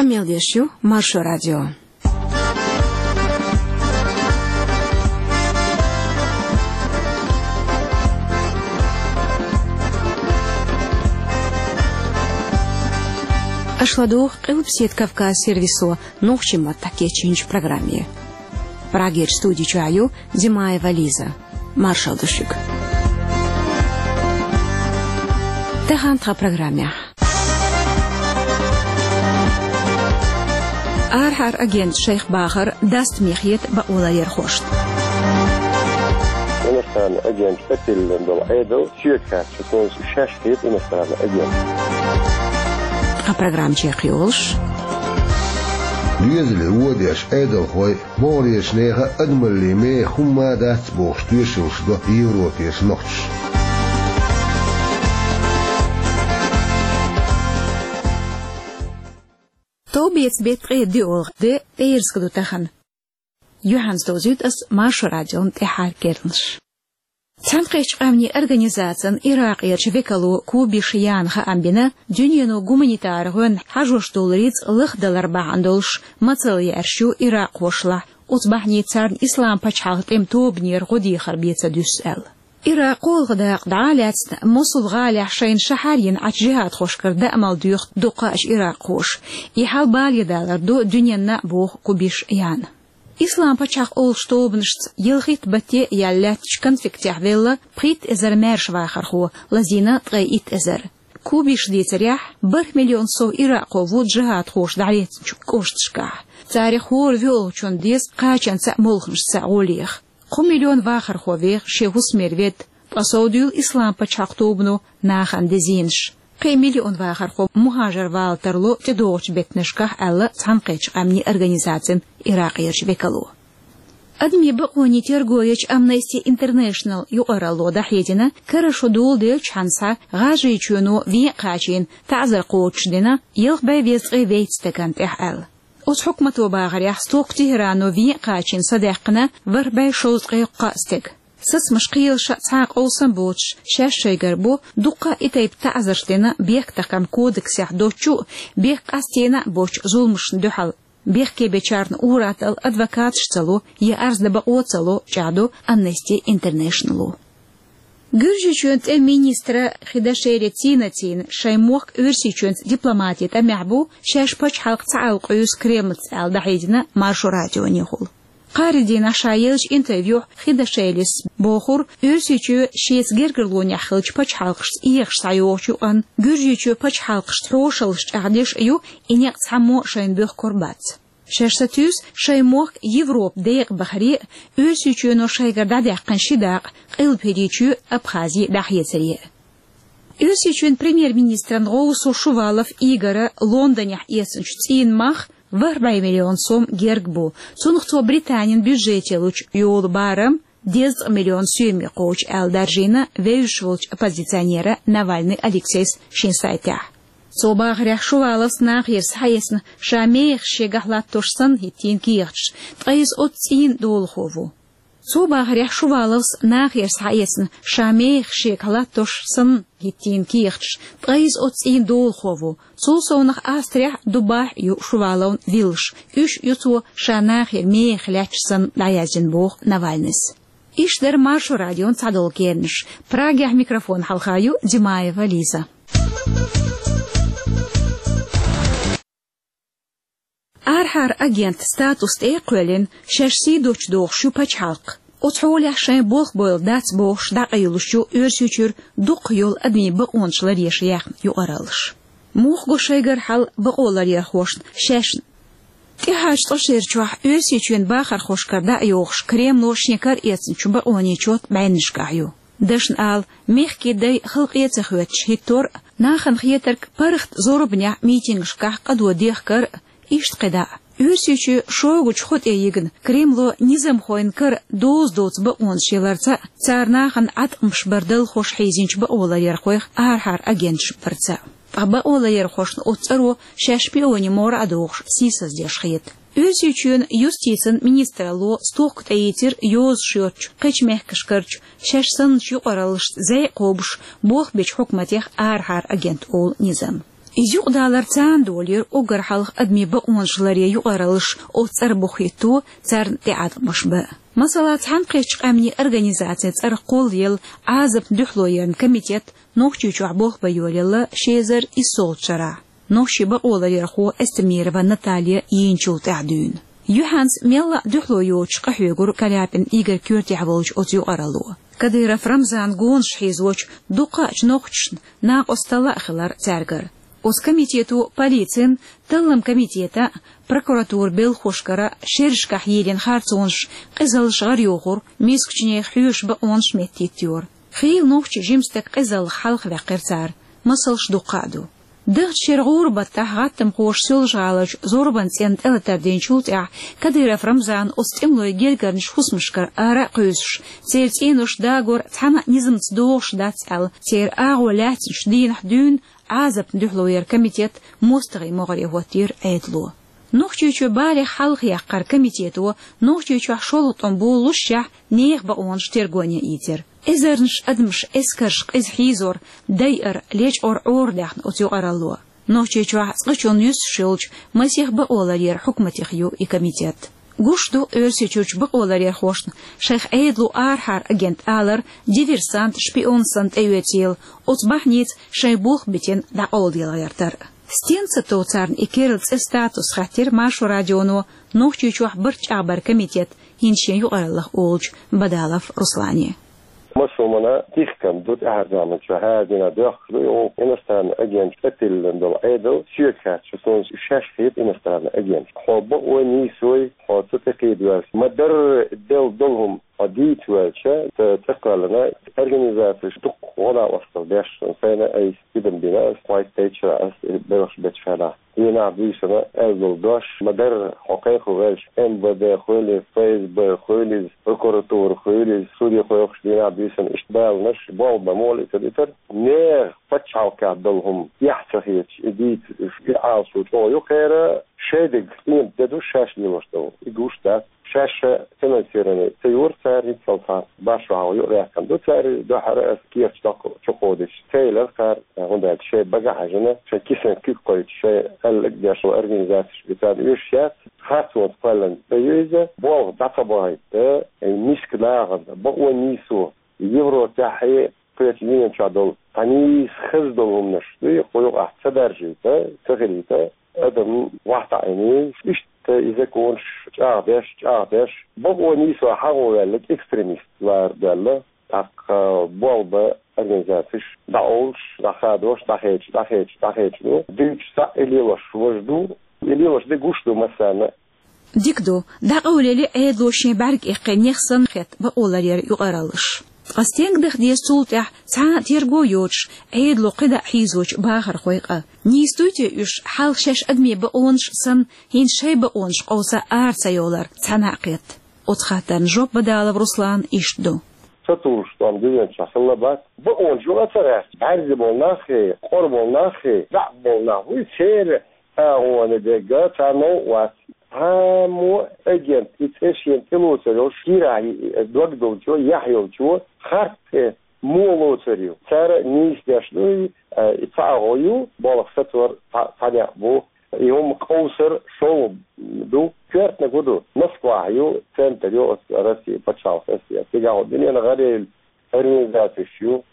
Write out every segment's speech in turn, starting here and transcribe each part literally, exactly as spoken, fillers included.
Къамел деш ю Маршо радио. Аша ладугӀу Къилбаседа Кавказ сервисо нохчийн маттахь кечйинчу программе. Прагерчу студи чохь ю Димаева Лиза. Маршалла ду шуьга. Тахана тхан программехь. Арахьара агенташа шайх бахар даста мехьа хета бакъоларъярхошна. Иностранный агент тӀетиллина долу Ӏедал соьга хаьттича, шаьш хета иностранный агент. Тхан программа чекхйолуш. Доьзале вон деш Ӏедалхой, могӀарерчу нехан адамаллин меха хӀумма а дац бохуш тоьшаллаш до Европерчу нохчаша. Товбеца беттан ткъе доьалгӀа де, пӀераска ду тахана. Юьхьанца довзуьйту ас Маршо радион тӀаьххьара керланаш. Цхьаьнакхеттачу Къаьмнийн Организацин Иракъерчу векало Кубиш Яна хаам бина, дуьнено гуманитар гӀоьнна хьажош долу рицкъ лахдалар бахьана долуш мацалла яьржаш ю иракъхошлахь, оцу бахьане царна ислам пачхьалкхан тӀеман тобанера гӀо дехар бен ца дуьсу аьлла. Иракъ кхоалгӀа дакъа дӀа а лаьцна, Мосул гӀалехь шайна шахьар йина Ӏачу жихӀадхошкара даамал доьху дуккха а иракъхоша. И хьал бале далар ду дуьненна а, боху Кубиш Яна. Ислам пачхьалкх олучу тобанашца ялхитта батте а яьлла лаьттачу конфликтехь велла пхийтта эзар маьрша вахархо, лазийна ткъе итт эзар. Кубиша дийцарехь, бархӀ миллион сов иракъхо ву жихӀадхоша дӀалецначу кӀошташкахь. Царах хӀора воьалгӀачунна деза кхачанца а, молханашца а гӀо леха. Кхо миллион вахархо веха шен хӀусамера ведда, ткъа совдуьйлу Ислам пачхьалкх тобано нахана дезийнаш. Кхин миллион вахархо мухӀажар вала тарло тӀедогӀучу беттанашкахь, аьлла Цхьаьнакхеттачу Къаьмнийн Организацин Иракъерчу векало. Адамийн бакъонийн терго ечу Amnesty International юкъаралло дӀахьедина, кара шо доладеллачхьана схьа ГӀажарийчоьно вен а кхачийна таӀзар кхочушдина ялх бӀе дезткъе вейтта стагана тӀехь аьлла. Оцу хьукмато бахарехь, стохка Тегерано вен а кхачийна садаьккхина ворхӀ бӀе шовзткъе кхоъ стаг. Сацамаш кхелаша цхьа а къовсам боцуш, шаьш шайгара бу дуккха а и тайпа таӀзарш дина Бехктакхаман кодексехь доцучу а, бехк къастийна а боцучу зуламашна дуьхьал. Бехке бечарна ур-атталла адвокаташ ца ло я арз дан бакъо ца ло, чӀагӀдо Amnesty International-о. Гуьржийчоьнан тӀеман министра Хидашели Цинацина шайн мохк Оьрсийчоьнца дипломатин тӀамехь бу, шаьш пачхьалкх ца Ӏалкъуьйсу Кремлца аьлла, дӀахьедина Маршо радионехула. Кхаарин дийнахь ша еллачу интервьюхь Хидашелис бохура, Оьрсийчоь шеца гергарлонехь хиллачу пачхьалкхашца эгӀаш схьайогӀучу юкъанна Гуьржийчоь пачхьалкхашца хьошаллаш чӀагӀдеш а ю, и некъ цхьаммо а шайна боьхкур бац. Шаьш сатуьйсу шайн мохк Европа декъабахаре а, Оьрсийчоьно шайгара дӀадаьккхина ши дакъа Къилбаседа Чоь а, Абхази а дӀахецаре а. Оьрсийчоьнан премьер-министран гӀовсо Шувалов Игора Лондонехь эцначу цӀийнан мах ворхӀ бӀе миллион сом герга бу. Цунах цо Британин бюджете лучу йолу барам дезткъа миллион соьме кхочу аьлла даржийна вевзаш волчу оппозиционера Навальный Алексейс шен сайтехь. Цо бахарехь, Шуваловс нахера схьаэцна ша мехаш шегахь латтош санна хӀиттийна кехаташ, ткъа иза оцу цӀийнан долахо ву. Цо бахарехь, Шуваловс нахера схьаэцна ша мехаш шегахь латтош санна хӀиттийна кехаташ, ткъа иза оцу цӀийнан долахо ву. Цул совнах Австрехь а, Дубайхь а ю Шуваловна виллаш, уьш ю цо ша нахера мехах лаьтташ санна дӀаяздина, боху Навальныйс. Иштта дара Маршо радион цхьадолу керланаш. Прагехь микрофон хьалха ю Димаева Лиза. Арахьара агент статус тӀе а кхоьллина, шаьш сий доцуш дохуш ю пачхьалкх. Оцу хьолехь шайн болх бойла дац бохуш дӀакъайлуш ю Оьрсийчуьра дукха йолу адамийн бакъонаш ларъеш яьхна юкъараллаш. Муха го шайгара хьал бакъоларъярхошна шаьшна? ТӀаьхьарчу ткъа шерачохь Оьрсийчоьнан бахархошкара дӀа а йогӀуш, Кремло шен кара эцначу бакъонийн чот бӀеннашкахь ю. Дашна ала, мехкийн дай халкъе а ца хоьттуш хӀиттор а, нахана хетарг паргӀат зорбанехь митингашкахь къадо дехкар а, иштта кхидӀа а. Оьрсийчоь шогачу хӀу тӀе йигна, Кремло низамхойн кара доза доцу бакъонаш яларца а, цара нахана Ӏаткъамаш бар далхош хьийзинчу бакъоларъярхойх арахьара агенташ барца а. Ткъа бакъоларъярхошна оцу цӀаро шаьш шпионийн могӀара а дохуш, сийсаздеш хета. Оьрсийчоьнан юстицин министралло стохка тӀеийцира йозуш йоцучу кхечу мехкашкарчу шаьш санначу юкъараллашца зӀе а кхобуш болх бечу хьукматех арахьара агент олу низам. Иза юкъадалар царна долийра уггар хьалха адамийн бакъонаш ларъе юкъараллаш оцу цӀара бухахӀитто, царна тӀеӀаткъамаш бан. Масала, Цхьаьнакхеттачу Къаьмнийн Организацин цӀарах кхоллаелла Ӏазапна дуьхьало яран комитет Нохчийчохь болх бан йолаелла ши эзар иссолгӀачу шарахь, нохчийн бакъоларъярхо Эстемирова Наталья йийначул тӀаьхьа дуьйна. Юьхьанца мелла а дуьхьало йоцуш къахьоьгура Каляпин Игорь коьртехь волчу оцу юкъаралло. Кадыров Рамзанан гонаш хьийзочу дуккха а нохчашна накъосталла а хилира цаьргара. Оцу комитето полицин, талламан комитетан а, прокуратуран белхахошкара а шерашкахь йийлина харцонаш, къизаллаш гӀарайохура, мискачу нехан хьоьжуш бакъонаш меттахӀиттайора. Хийла нохчийн жима стаг къизаллех хьалхаваьккхира цара, масалш дуккха а ду. Дахча шеран гӀуран баттахь гӀаттамхоша Соьлжа-ГӀаларчу зорбанан цӀенна тӀелатар динчул тӀаьхьа Кадыров Рамзана оцу тӀемалойн гергарнаш хӀусамашкара ара а кхуьйсуш, церан цӀенош дагор цхьана а низамца догӀуш дац аьлла, церан агӀо лаьцначу дийнахь дуьйна Ӏазапна дуьхьало яран комитет мостагӀийн могӀаре хӀоттийра Ӏедало. Нохчийчоь балех хьалхаяккхаран комитето Нохчийчохь шолгӀа тӀом болалушшехь, нехан бакъонаш терго йийцира. Эзарнаш адамаш эскарша къиза хьийзор, дайар, лечкъор Ӏорадаьхна оцу юкъаралло. Нохчийчохь цкъачунна юьсуш йолчу масех бакъоларъяран хьукматех ю и комитет. Гуш ду Оьрсийчуьрчу бакъоларъярхошна шайх Ӏедало арахьара агент алар диверсант, шпион санна тӀеоьцийла, оцу бахьаница шайн болх битина дӀакъовладелла гӀертар. Стенца тов царна и керла цӀе, статус хаьттира Маршо радионо Нохчийчохь барт чӀагӀбаран комитет хӀинца шен юкъараллах олучу Бадалов Руслане. Массо а хӀуманна тӀехкам ду тӀаьхьарчу заманчохь, хӀара дийнахь доьхкуш ду, и иностранный агент тӀетиллина долу Ӏедал, соьга хаьттича, суна шаьш хета иностранный агент. Хьо бакъо нийсой, хьо ца тӀекхийда ваьлча, ма-дарра делла долу хӀума хьо дийца ваьлча, ца тӀекхоьллина, организацеш дуккха гӀо-накъосталла деш, сайна айса тидам бина ас, кхойтта тайча ас белхаш бечу хенахь. Дийнахь буьйсанна аьлла долу дош ма-дарра, хьо кхайкхо ваьлча, М В Д хуьлийла, Ф С Б хуьлийла, прокуратура хуьлийла, суде кхойкхуш дийнахь буьйсанна иштта баланаш, болх бан муха лиъцар итар. Нехан пачхьалкхехь долу хӀума эхь ца хеташ, и дийца, и Ӏалашо чӀогӀа ю кхеран, шайн дегнаш къемат де ду шаьш лелош долу. И гуш дац. Шаьш финансирование ца йора цара, хӀинццалц башхо хьалха юкъадаьккхина ду цара, дуьххьара ас кехаташ доккха чукхо дича, ца елира кхара, хӀунда аьлча шайн бага хьаьжна, шайн кисанан куьг кхойтта, шайн аьлларг деш долу организацеш бен царна оьшуш яц, харцонца кхоьллина тӀе ю иза, болх дӀа ца бахийта, миска нахана, бакъо нийсо, Европехь, кхечу дуьнен чохь долу цхьа нийса хаза долу хӀуманаш дуй, кху юкъахь ца даржийта, ца хилийта, адам вахтаӀийна, иштта и законаш чӀагӀдеш, чӀагӀдеш, бакъо нийсо хьагӀо ваьлларг экстремист лара даьлла, тӀаккха болх бан организацеш дӀакъовлуш, дӀахадош, дӀахедаш, дӀахедаш, дӀахедаш ду. Дуьйцуш цхьаъ и лелош важа ду, и лелош де гуш ду массарна. Дика ду, дӀакъовлийла Ӏедало шен бӀаьрг иккхина нех санна хетта бакъоларъяран юкъараллаш. Ткъа стенга даха деза цул тӀаьхьа цхьа а терго йоцуш, Ӏедало кхидӀа хьийзочу бахархойн къа? Нийса дуй те уьш, хьалха шаьш адамийн бакъонаш санна, хӀинца шайн бакъонаш къовса ара ца йовлар цхьана а кхетта? Оцу хаттарна жоп Бадалов Руслана иштта ду. Ца тухуш тӀом дуьнен чохь хилла бац. Бакъонаш юкъа ца гӀерташ, бӀаьрзе болу нахе, къора болу нахе, заьӀап болу нах вуй, церан агӀоне дерг царна новкъа вац. Цхьаммо агент, и цӀе шена тӀелоцур йолуш, кийрахь дог долчо, яхь йолчо, харц цӀе муха лоцур ю? Цара нийса деш ду, и, а, и цхьа агӀо ю, болх сацор цхьа, цхьа некъ бу. И хӀума къовсар шолгӀа ду, коьртаниг хӀун ду? Москвахь ю, центр ю оцу Россия пачхьалкх, Россия. Цигахь дуьненан гӀарайолу организацеш ю.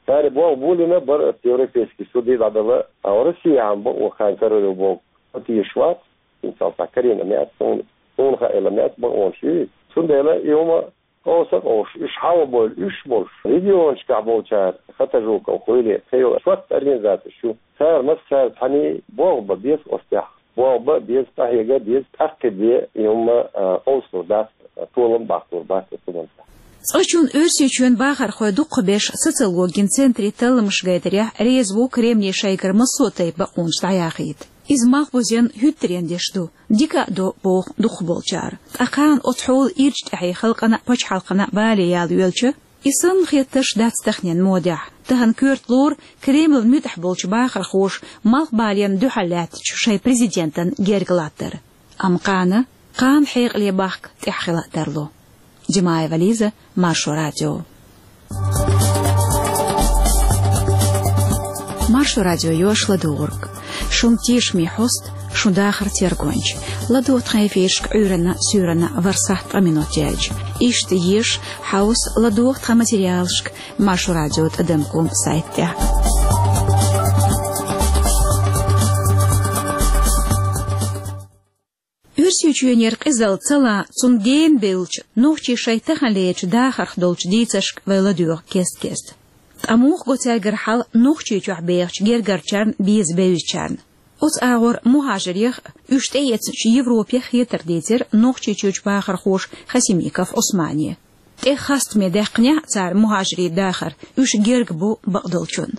Цара болх болийна бара оцу Европейский суде дӀадала, а Россияхь бакъо хан карор ю боху тешаш вац, хӀинцалц Карина меца, суна, суна хаийла меца бакъонаш ю. Цундела и хӀума къовса а къовсуш, уьш хьалха бевлла уьш болуш, регионашкахь болчара, Хатажуков хуьлий, кхин йолу шортта организацеш ю. Цара массара цхьаьний болх бан беза оцу тӀехь. Болх бан беза, къахьега беза, тӀаккха бен и хӀума, а, къовсалур дац, толам баккхалур бац оцу хӀуманца. Цкъачунна Оьрсийчоьнан бахархой дукхахберш социологин центре талламаш гайтарехь реза ву Кремле шайгара массо а тайпа бакъонаш дӀаяхийта. Иза малхбузен хӀуьттаренна деш ду, дика а до, боху дукхахболчара. Ткъа кхана оцу хьолан ирча тӀаьхье халкъана а, пачхьалкхана а бале яла йоьлча, и санна хеттарш дац таханен модехь. Тахана коьрта лору Кремлан муьтӀахь болчу бахархоша малхбалена дуьхьал лаьттачу шайн президентан герга латтар. Амма кхана, кхана хьекъале бахка тӀехь хила а тарло. Димаева Лиза, Маршо радио. Маршо радио йош ладугӀург. Шун тешаме хьост, шун дахар тергонча. ЛадугӀа тхан эфирашка Ӏуьйранна, суьйранна вархӀ сахьт ткъа минот яьлча. Иштта еша, хьовса, ладугӀа тхан материалашка Маршо Радио тӀадам ком сайта тӀехь. Оьрсийчоьнера къизалла ца лан, цунна генабеллача, нохчий шайн таханлерча дахарх долча дийцаршка вай ладоьгӀу кест-кеста. Ткъа муха го цаьргара хьал Нохчийчохь бехача гергарчарна, беза бевзачарна? Оцу агӀор мухӀажарех а, уьш тӀеэцначу Европех а хетар дийцира Нохчийчуьрчу бахархоша Хасимиков Ӏусмане. ТӀе хастаме даьккхинехь а цара мухӀажарийн дахар, уьш герга бу бакъдолчунна.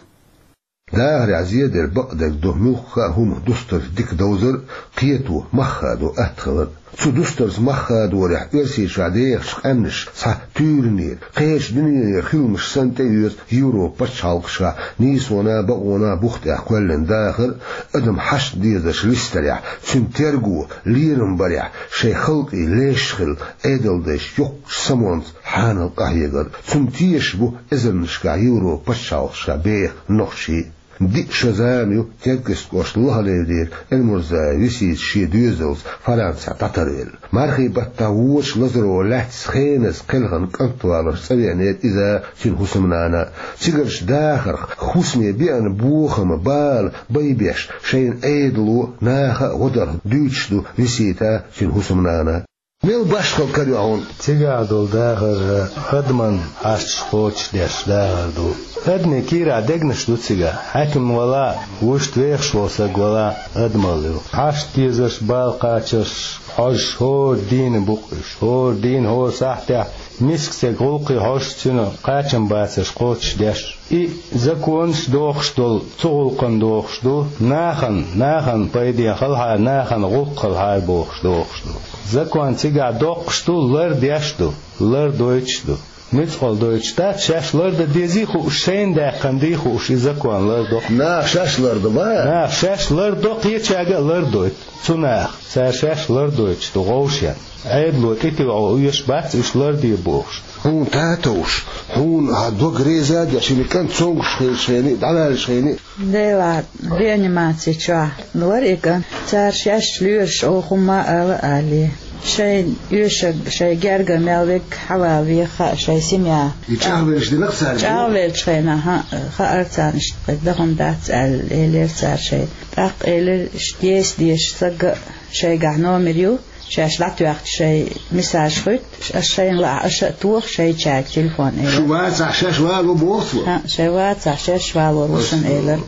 Дахарехь зеделла бакъдерг ду муьлхха а хӀума дустарца дика довзар а, кхето мах хадо атта хилар а. Цу дустарца мах хадорехь Оьрсийчохь дехачу къаьмнаша цхьа туьйранера, кхечу дуьненера хиламаш санна тӀеоьцу Европан пачхьалкхашкахь нийсонан а, бакъонан а бух тӀехь кхоьллина дахар а, адам хьашт дезарш листарехь, цуьнан терго, лерам барехь, шайн халкъе леш хилла Ӏедалдайша йоккхачу самонца хьанал къахьегар а. Цунна тешаш бу эзарнашкахь Европан пачхьалкхашкахь беха нохчий а. Диъ шо зама ю Теркйист кӀоштан Лохалевдера Эльмурзаев Висита шен доьзалца Францехь дӀатарвелла. Мархий баттахь вочу лазаро лаьцна хеназа кхелхина кӀант валарца цӀа веанера иза а, цуьнан хӀусамнана а. Цигарчу дахарх, хӀусаме беана бохам а, бала а байбеш, шайна Ӏедало, наха а гӀо дарх дуьйцуш ду Висита а, цуьнан хӀусамнана а. Мел башхалла кара ю хьуна? Цигахь долу дахар адаман хьашташ кхочушдеш дахар ду. Адамийн кийрахь дегнаш ду цигахь. Хьаькам валахь а, вуьшта вехаш волу саг валахь а, адамалла ю. Хьашт дезарш, бала кхачарш хьожуш хӀора дийне бу-кх уьш. ХӀора дийне, хӀора сахьтехь миска стеган гӀуллакхе хьожуш, цуьнан кхачам бацарш кхочушдеш. И законаш дохуш долу, цу гӀуллакхана дохуш ду, нахана, нахана пайдехь хилахьара, нахана гӀуллакх хилахьара бохуш дохуш ду. Закон цигахь доккхуш ду, лардеш ду, лардойтуш ду. Муьцкъала дойтуш дац, шаьш лардан дезий хууш, шайна даьккхина дий хууш, и закон лардо-кх. Наха шаьш лардо ма? Наха шаьш лардо, кхечаьрга а лардойту. Цу наха, цара шаьш лардойтуш ду гӀовшен. Ӏедало тӀетуьйхьо оьшуш бац уьш ларде бохуш. Хьуна татовш, хьуна хьан дог реза а деш, шина кӀант цомгуш хилча хенахь а, дӀаваьлча хенахь а. Делахь, реанимаци чохь вара и кӀант. Цара шаьш лоьраш оха хӀумма а ала а алий. Шайн оьшург, шайн герга мел верг хьавалаве хаьа шайн семья. И чӀагӀвелча динарг цаьрга? ЧӀагӀвелчу хенахь, хьан, хаьара царна иштта кхин даха дац аьлла, элира цара шайна. ТӀаккха элира, иштта еса дезаш сага а шайгахь номер ю, шаьш дӀатоьхча шайн мессаж хуьтту, аш шайна лаахь аша а тоха шайчаьрга телефон, элира. Шу вацахь шаьш вало боху цо? ХӀаъ, шайн вацахь шаьш валор ву шуна, элира.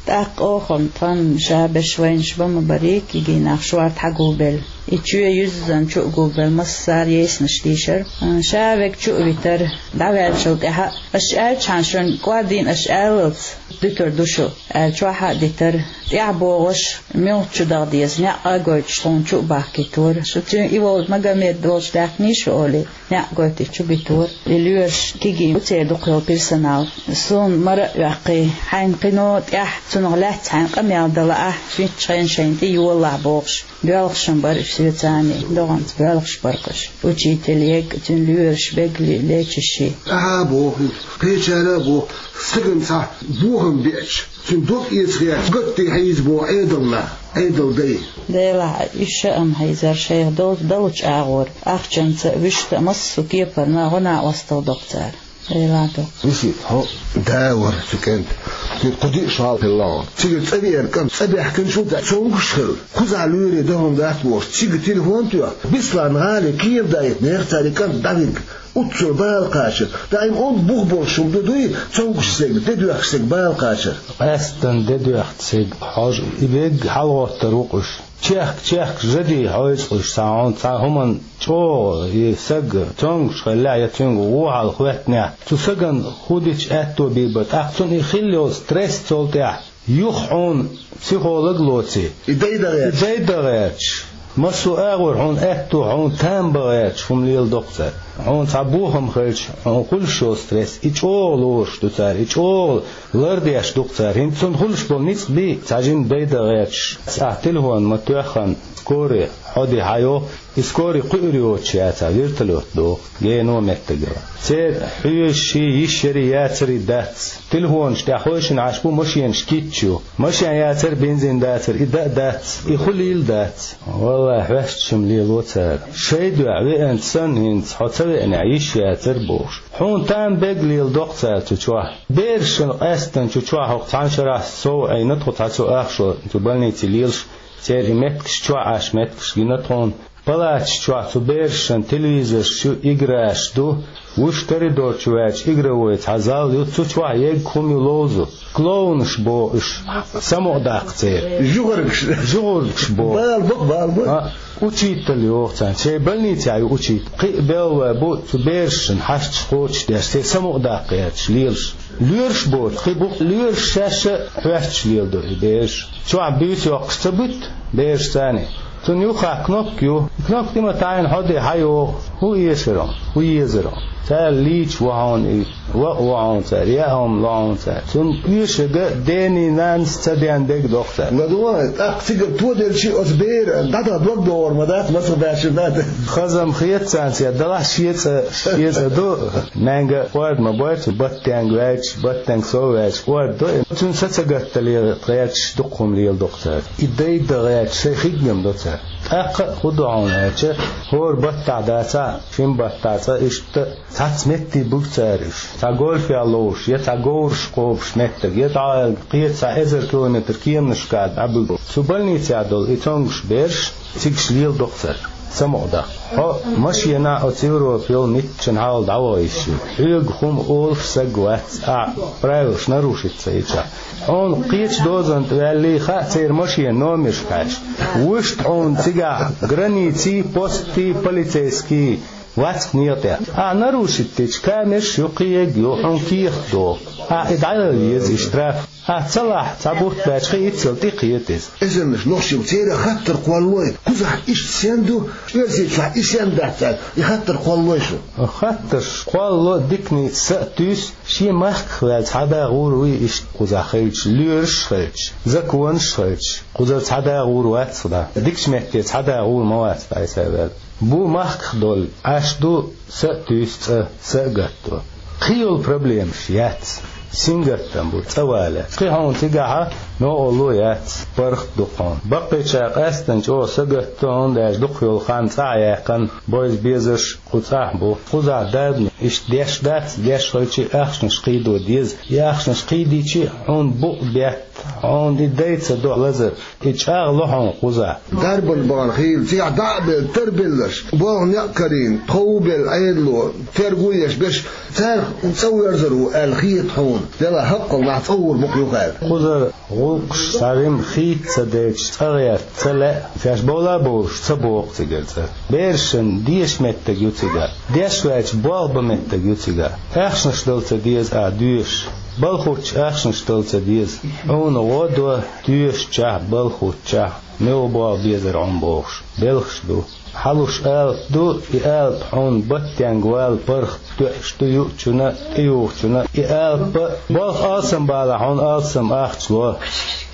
ТӀаккха оха-м тхан ша берш вайнаш бан ма барий, кегий нах шорта хьагулбелла. И чоь юьззина чу а гулбелла, массара а йийсинарш дийшира. Ша верг чу а витира, дӀаваьллачул тӀаьхьа а, аша аьлчхьана шуна кӀордийна аша аьллалц дуьтур ду шу, аьлла чохь а дитира. ТӀаьхьа богӀуш, муьлхачу даха деза, некъ а гойтуш тхуна чу а бахкийтора. Шу цуьнан и волчу Магомед волчу даьккхиний шу олий, некъ гойтий чу битора. И лоьраш кегий бу, церан дукха йолу персонал. Суна мара а оьккхий, хьайна кхино тӀехь, цунах лаьцна хьайна къамел дан лаахь, шийтта шайна шайна тӀе йолалахь бохуш. Боьлхуш-м бара уьш соьцаний, догӀанца боьлхуш бара-кх уьш. Учитель ерг а, цуьнан лоьраш бегали, лечащий. Ахьа а боху, кхечара а боху, стагана цхьа бохам беача, цуьнан дог эца гӀерташ, гатте хьийза боху Ӏедална, Ӏедал дай. Делахь, уьш ша-м хьийзара шайх долчу далучу агӀора, ахчанца а, вуьшта а, массо а кепарна гӀо-накъосталла до-кх цара. Делахь, до-кх. Висита, хьо да вара цу кӀентан. Цуьнан кху диъ шо хьалха хилла хьуна. Цигара цӀа веара кӀант, цӀа баьхкинчул тӀаьхьа цомгуш хилла. Кхузахь лоьре дан хӀума дац бохуш, цига телефон тоьхна, Беслан-гӀалин кхера даийтинера цара и кӀант дӀавигна. Оццул бала кхачар. Даим онда бух болуш хӀума ду дуй, цомгуш стеган, де доьхкуш стеган бала кхачар. Къаьсттина де доьхку стеган хьожа, и верг хьалагӀоттур ву-кх уьш. Чехка-чехка жаде хьойцу-кх уьш, цхьа хьуна цхьа хӀуманна чӀогӀа и саг цомгуш хиллехь я цуьнга вон хьал хӀоьттинехь, цу сагана хӀун дича аьтто бийр бара, тӀаккха цунна и хилла йолу стресс цул тӀаьхьа юха хьуна психолог лоций. И дай дан гӀерташ. И дай дан гӀерташ. Массо а агӀор хьуна аьтто, хьуна там бан гӀерташ хӀума леладо-кх цара. Хьуна цхьа бохам хилча, хьуна хуьлуш йолу стресс, и чӀогӀа лоруш ду цара, и чӀогӀа лардеш ду-кх цара. ХӀинца цунна хуьлуш болу ницкъ бий, цхьа жима дайдан гӀерташ, ахь телефон ма тоьхна, скорый хьо де хьайо, и скорый кхуьур йоцуш яцахь, вертолет доху, гено меттиг йолу. Церан хьоьжуш, йиш ярий, яцарий дац. Телефонаш тӀехь хойшина Ӏаш бу, машенаш кийча ю. Машен яцара, бензин дацара, и дан а дац, и хуьлийла дац. Валлахь, хьоьстуш-м лело цара. Шайн дуьхьа веанчу санна хӀинца, хьо ца веанехь, йиш яцара бохуш. Хьуна там бегга леладо-кх цара цу чохь. Берашна къаьстина цу чохь хӀокху цхьана шарахь сов Ӏийна тхо цхьа цу ахчо, цу больници лелаш, церан и меттигаш чохь Ӏаш меттигаш гина тхуна. Палаташ чохь цу берашна телевизорш ю, играш ду, вуьш коридор чу ваьлча игровой цхьа зал ю, цу чохь егга хӀума ю ловзу. Клоунаш боху уьш, самукъадаккха церан. ЖугӀургаш. ЖугӀургаш боху. Бала бу, бала бу. А, учитель йоху царна. Шайн больницехь ю учитель. Кхин а белла вай бу цу берашна хьашташ кхочушдеш, церан самукъадаккха гӀерташ лелаш. Лоьраш боцу, кхин бу лоьраш шаьш а хьоьстуш леладо и бераш. Чохь буьйса йоккхуш ца буьту бераш царна. Цунна юххехь кнопка ю. Кнопка тӀе ма таӀийна хьо де хьайогӀу. ХӀун эшар хьуна? ХӀун езар хьуна? Цара лийча во хьуна и, ваъ во хьуна цара, яа хӀума ло хьуна цара. Цунна оьшург дений, нанас ца ден дерг доху цара. ЛадогӀа, тӀаккха цигара тоделчи оцу бера дӀадала дог догӀур ма дац, мацах баьрча дац. Хазам хета царна, церан далахь шен цӀа, шен цӀа ду. Маьнга кӀорда ма бой цу баттенга ваьлча, баттенга сов ваьлча кӀорда до. Цуьнан са ца гатдале гӀерташ дукха хӀума леладо-кх цара. И дайдан гӀерташ шайн хиггам до цара. ТӀаккха а хӀун до хьуна аьлча, хӀора баттахь дацахь, шина баттахь цкъа иштта цхьацца метте буьгу цара уьш. Цхьа гольфехь ловзуш, я цхьа говраш кхобуш меттиг, я цхьа кхечу цхьа эзар километр кеманашкахь дӀабуьгу. Цу больницехь долу и цомгуш бераш, цигахь леладо-кх цара, самукъадаккха. Хьо машенахь оцу Европа йолу митчанхьа дӀаваха йиш ю. Хьоьга хӀума олуш стаг вац, ахь правилаш нарушить ца йича. Хьуна кхечу дозанна тӀе ваьллий хаьа церан машенан номерш хьаьжча. Вуьшта хьуна цигахь границий, постий, полицейский вац-кх некъа тӀехь. Ахь нарушить дича, камераш ю, кхин егга ю, хьуна кехат доху. Ахь и дӀаяла еза, и штраф. Ахь ца лахь, цхьа бутт баьча, кхин иццал тӀекхета иза. Эзарнаш нохчий бу, церан хаттар кхоллалой, кхузахь иштта стен ду, Оьрсийчохь и стен дац аьлла, и хаттар кхоллалой шу? Хаттарш кхоллало, диканца са а туьйсу, шен махках ваьлла цхьа да гӀур вуй иштта кхузахь хилча, лоьраш а хилча, законаш а хилча, кхузара цхьа да гӀур вац-кх да. Дикачу метте цхьа да гӀур ма вац-кх да, айса а ваьлла. Бу махках долу, Ӏаш ду, са а туьйсу цкъа, са а гатдо. Кхин йолу проблемаш яц. Сингаттам бу, цӀа вале. Кхин хьуна цигахь новкъарло яц, паргӀат ду-кх хьуна. Баккхийчара къаьсттина чӀогӀа сагатдо, хӀунда аьлча дукха йолу хан цӀахь яьккхина, бойза безарш кху цӀахь бу. Кхузахь дадна иштта деш дац, деш хилча а ахчанаш кхийдо деза. И ахчанаш кхийдича а хьуна букъ бетта, хьуна и дай ца до лазар. И чӀагӀло хьуна кхузахь. Дарбан бахана хийла, цигахь дӀа а белла, тарбелларш, болх некъ карийна, тхов а белла Ӏедало, терго а еш берш, царах цӀа верзар ву аьлла хета хьуна. Делахь хӀаккхалнахь цӀа гӀур бу-кх юха аьлла. Кхузара гӀуллакхаш цхьа жимма хийца ца делча, цӀа гӀерта ца лаьа, шаьш бовла а бовлуш ца боху цигара цӀа. Берашна деша меттиг ю цигахь. Деш ваьлча болх бан меттиг ю цигахь. Ахчанаш дала ца деза ахь доьшуш. Балхуттачу ахчанаш дала ца деза. Хьуна гӀо до, доьшучохь, балхуттачохь, муьлха болх безар хьуна бохуш, белхаш ду. Хьалуш алапа ду, и алапа хьуна баттенга вала паргӀат тоьуш ду юучунна, тӀеюхучунна. И алапа болх алсам балахь, хьуна алсам ахча ло.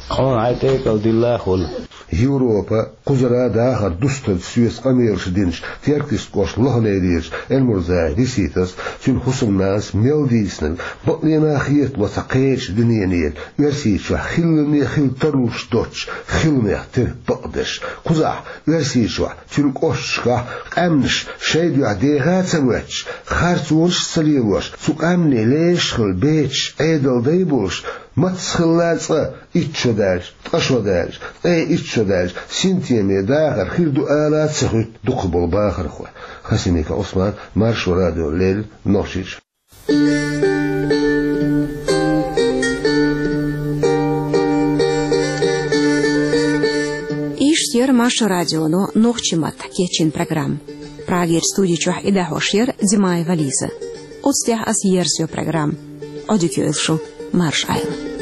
Хьуна хьайн тӀекӀал дилла а хуьлу. Европа, кхузара дахар дустарца соьца къамелаш динчу Теркйистан кӀоштан Лоханейрерчу Эльмурзаев Риситас, цуьнан хӀусамнанас мел дийцинарг бакъдерг а хетаво цхьа кхечу дуьненера, Оьрсийчохь хилларг а хила тарлуш доцчу хиламех тера бакъдерш. Кхузахь, Оьрсийчохь, цуьнан кӀошташкахь къаьмнаш шайн дуьхьа деха а ца моьттуш, харцонаш а ца лелош, цу къаьмнийн лешаш хилла бецаш Ӏедалан дай болуш, мацца хилла а цкъа итт шо даьлча, ткъа шо даьлча, ткъе итт шо даьлча, синтеме дахар хир ду ала а ца хуьтту дукхахболу бахархой. Хасимиков Ӏусман, Маршо радио, Леррина, Нохчийчоь. Иштта яра Маршо радионо нохчийн маттахь кечйина программа. Прагерчу студи чохь и дӀахьош яра Димаева Лиза. Оцу тӀехь ас ерзайо программа. Ӏодика йойла шу, марша Ӏойла.